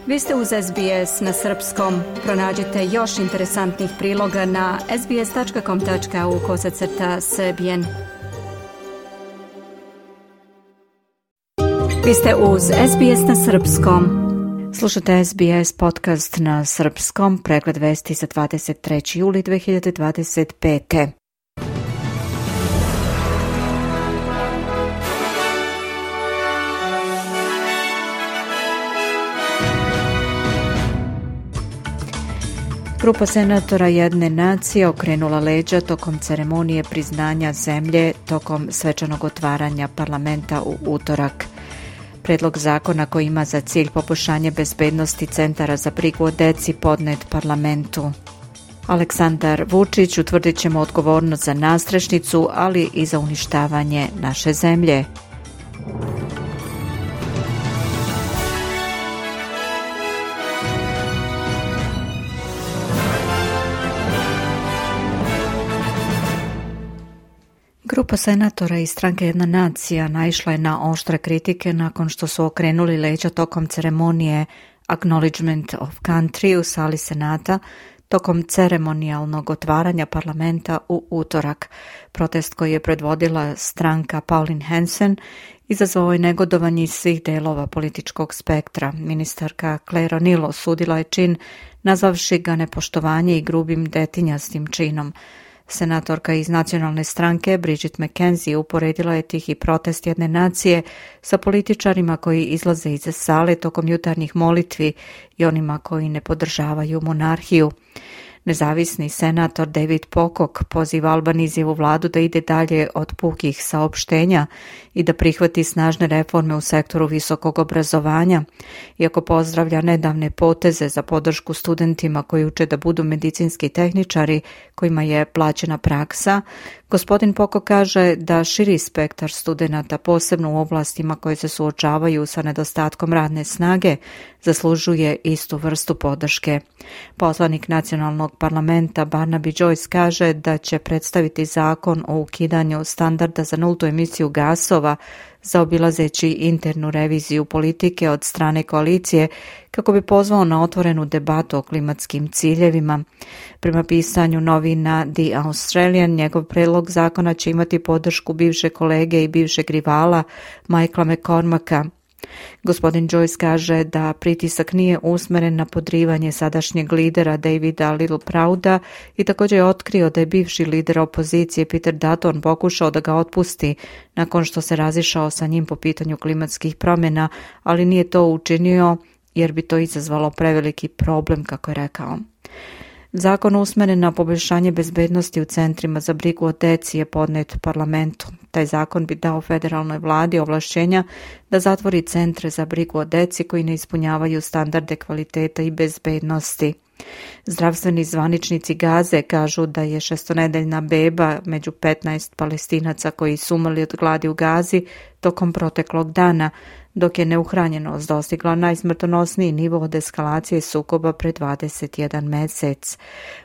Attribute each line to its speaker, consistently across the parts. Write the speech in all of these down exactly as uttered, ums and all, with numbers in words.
Speaker 1: Vi ste uz S B S na srpskom. Pronađite još interesantnih priloga na sbs.com.au kosacrta srbijen. Vi ste uz S B S na srpskom. Slušate S B S podcast na srpskom, pregled vesti za dvadeset treći juli dve hiljade dvadeset pete. Grupa senatora jedne nacije okrenula leđa tokom ceremonije priznanja zemlje tokom svečanog otvaranja parlamenta u utorak. Predlog zakona koji ima za cilj poboljšanje bezbednosti centara za brigu o deci podnet parlamentu. Aleksandar Vučić utvrdit ćemo odgovornost za nadstrešnicu, ali i za uništavanje naše zemlje. Grupa senatora iz stranke Jedna nacija naišla je na oštre kritike nakon što su okrenuli leđa tokom ceremonije Acknowledgement of Country u sali Senata tokom ceremonijalnog otvaranja parlamenta u utorak. Protest koji je predvodila stranka Pauline Hanson izazvao je negodovanje iz svih delova političkog spektra. Ministarka Claire O'Neil osudila je čin, nazvavši ga nepoštovanje i grubim detinjastim činom. Senatorka iz nacionalne stranke Bridget McKenzie uporedila je tihi protest jedne nacije sa političarima koji izlaze iz sale tokom jutarnjih molitvi i onima koji ne podržavaju monarhiju. Nezavisni senator David Pocock poziva Albanizijevu vladu da ide dalje od pukih saopštenja i da prihvati snažne reforme u sektoru visokog obrazovanja. Iako pozdravlja nedavne poteze za podršku studentima koji uče da budu medicinski tehničari kojima je plaćena praksa, gospodin Pocock kaže da širi spektar studenata, posebno u oblastima koje se suočavaju sa nedostatkom radne snage, zaslužuje istu vrstu podrške. Poslanik nacionalnog parlamenta Barnaby Joyce kaže da će predstaviti zakon o ukidanju standarda za nultu emisiju gasova zaobilazeći internu reviziju politike od strane koalicije kako bi pozvao na otvorenu debatu o klimatskim ciljevima. Prema pisanju novina The Australian, njegov predlog zakona će imati podršku bivše kolege i bivšeg rivala Michaela McCormacka. Gospodin Joyce kaže da pritisak nije usmeren na podrivanje sadašnjeg lidera Davida Littleprouda i također je otkrio da je bivši lider opozicije Peter Dutton pokušao da ga otpusti nakon što se razišao sa njim po pitanju klimatskih promjena, ali nije to učinio jer bi to izazvalo preveliki problem, kako je rekao. Zakon usmeren na poboljšanje bezbednosti u centrima za brigu o deci je podnet parlamentu. Taj zakon bi dao federalnoj vladi ovlašćenja da zatvori centre za brigu o deci koji ne ispunjavaju standarde kvaliteta i bezbednosti. Zdravstveni zvaničnici Gaze kažu da je šestonedeljna beba među petnaest Palestinaca koji su umrli od gladi u Gazi tokom proteklog dana, dok je neuhranjenost dostigla najsmrtonosniji nivo od eskalacije sukoba pre dvadeset jedan mesec.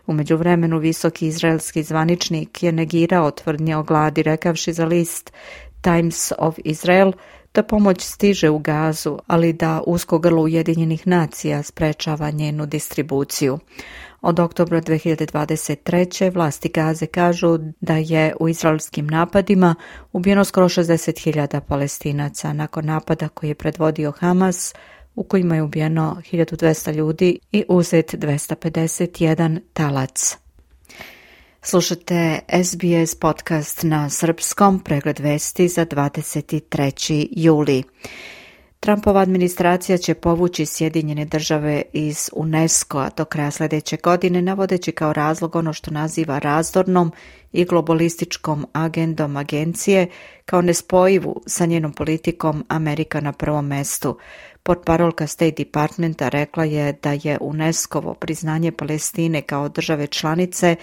Speaker 1: U međuvremenu visoki izraelski zvaničnik je negirao tvrdnje o gladi, rekavši za list Times of Israel da pomoć stiže u Gazu, ali da usko grlo Ujedinjenih nacija sprečava njenu distribuciju. Od oktobra dve hiljade dvadeset treće vlasti Gaze kažu da je u izraelskim napadima ubijeno skoro šezdeset hiljada Palestinaca nakon napada koji je predvodio Hamas, u kojima je ubijeno hiljadu dvesta ljudi i uzet dvesta pedeset jedan talac. Slušate S B S podcast na srpskom, pregled vesti za dvadeset treći juli. Trumpova administracija će povući Sjedinjene države iz UNESCO-a do kraja sljedeće godine, navodeći kao razlog ono što naziva razdornom i globalističkom agendom agencije kao nespojivu sa njenom politikom Amerika na prvom mestu. Portparolka State Departmenta rekla je da je UNESCO-ovo priznanje Palestine kao države članice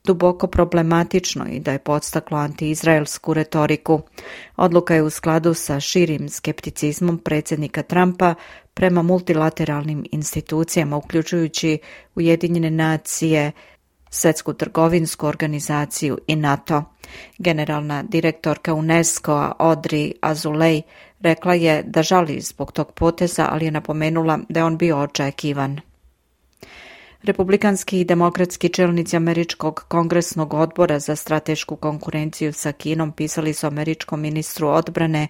Speaker 1: duboko problematično i da je podstaklo antiizraelsku retoriku. Odluka je u skladu sa širim skepticizmom predsjednika Trumpa prema multilateralnim institucijama, uključujući Ujedinjene nacije, Svjetsku trgovinsku organizaciju i NATO. Generalna direktorka UNESCO-a Audrey Azoulay Rekla je da žali zbog tog poteza, ali je napomenula da je on bio očekivan. Republikanski i demokratski čelnici Američkog kongresnog odbora za stratešku konkurenciju sa Kinom pisali su američkom ministru odbrane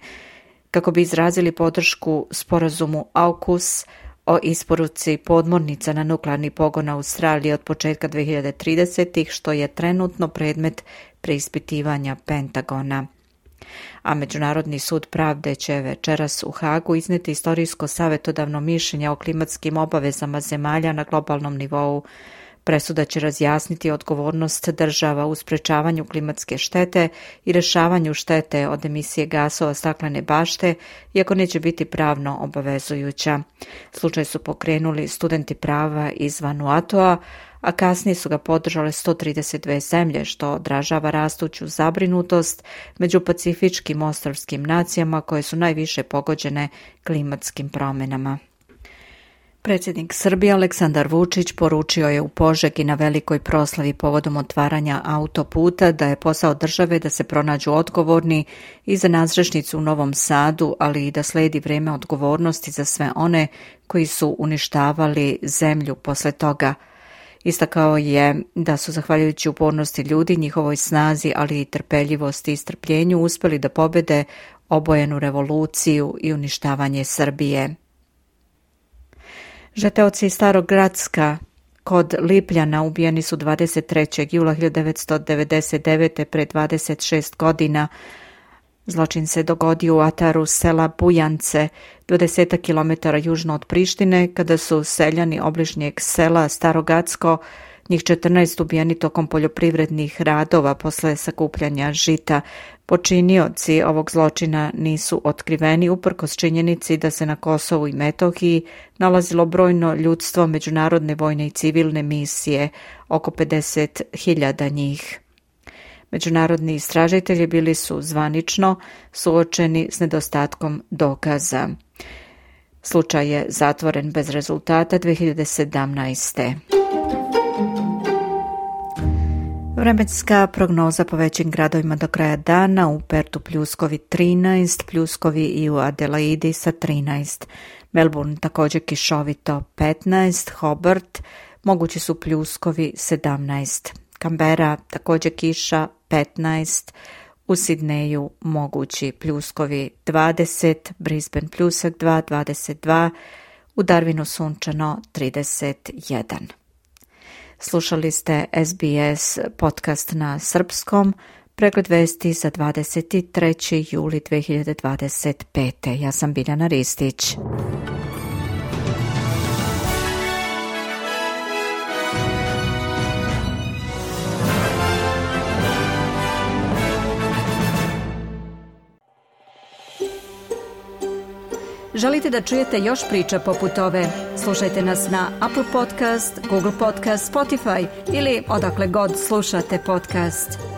Speaker 1: kako bi izrazili podršku sporazumu AUKUS o isporuci podmornica na nuklearni pogon Australije od početka dve hiljade tridesetih, što je trenutno predmet preispitivanja Pentagona. A Međunarodni sud pravde će večeras u Hagu izneti istorijsko savjetodavno mišljenje o klimatskim obavezama zemalja na globalnom nivou. Presuda će razjasniti odgovornost država u sprečavanju klimatske štete i rješavanju štete od emisije gasova staklene bašte, iako neće biti pravno obavezujuća. Slučaj su pokrenuli studenti prava iz Vanuatoa, a kasnije su ga podržale sto trideset dve zemlje, što odražava rastuću zabrinutost među pacifičkim ostrvskim nacijama koje su najviše pogođene klimatskim promjenama. Predsjednik Srbije Aleksandar Vučić poručio je u Požegi na velikoj proslavi povodom otvaranja autoputa da je posao države da se pronađu odgovorni i za nadstrešnicu u Novom Sadu, ali i da sledi vrijeme odgovornosti za sve one koji su uništavali zemlju posle toga. Istakao je da su, zahvaljujući upornosti ljudi, njihovoj snazi, ali i trpeljivosti i strpljenju, uspjeli da pobede obojenu revoluciju i uništavanje Srbije. Žeteoci iz Starog Gracka kod Lipljana ubijeni su dvadeset trećeg jula hiljadu devetsto devedeset devete pred dvadeset šest godina. Zločin se dogodio u ataru sela Bujance, dvadeset kilometara južno od Prištine, kada su seljani obližnjeg sela Starogacko, njih četrnaest ubijeni tokom poljoprivrednih radova posle sakupljanja žita. Počinioci ovog zločina nisu otkriveni uprkos činjenici da se na Kosovu i Metohiji nalazilo brojno ljudstvo međunarodne vojne i civilne misije, oko pedeset hiljada njih. Međunarodni istražitelji bili su zvanično suočeni s nedostatkom dokaza. Slučaj je zatvoren bez rezultata dve hiljade sedamnaeste. Vremenska prognoza po većim gradovima do kraja dana: u Pertu pljuskovi trinaest, pljuskovi i u Adelaidi sa trinaest. Melbourne također kišovito petnaest, Hobart mogući su pljuskovi sedamnaest. Canberra također kiša petnaest, u Sidneju mogući pljuskovi dvadeset, Brisbane pljusak dva, dvadeset dva, u Darwinu sunčano trideset jedan. Slušali ste S B S podcast na srpskom, pregled vesti za dvadeset treći juli dve hiljade dvadeset pete. Ja sam Biljana Ristić. Želite da čujete još priča poput ove? Slušajte nas na Apple Podcast, Google Podcast, Spotify ili odakle god slušate podcast.